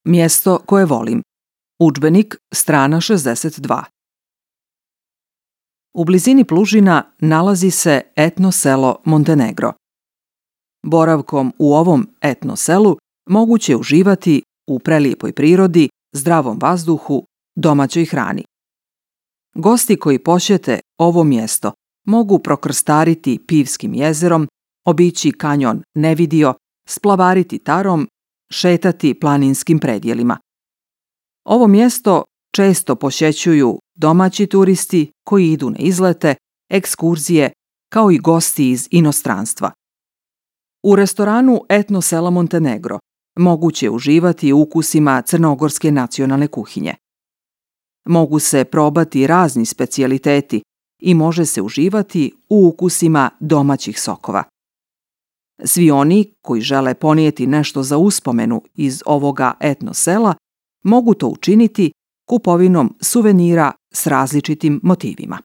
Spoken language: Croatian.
Mjesto koje volim. Udžbenik, strana 62. U blizini Plužina nalazi se etno selo Montenegro. Boravkom u ovom etno selu moguće je uživati u prelijepoj prirodi, zdravom vazduhu, domaćoj hrani. Gosti koji posjete ovo mjesto mogu prokrstariti Pivskim jezerom, obići kanjon Nevidio, splavariti Tarom, šetati planinskim predjelima. Ovo mjesto često posjećuju domaći turisti koji idu na izlete, ekskurzije, kao i gosti iz inostranstva. U restoranu etno sela Montenegro moguće je uživati u ukusima crnogorske nacionalne kuhinje. Mogu se probati razni specijaliteti i može se uživati u ukusima domaćih sokova. Svi oni koji žele ponijeti nešto za uspomenu iz ovoga etno sela mogu to učiniti kupovinom suvenira s različitim motivima.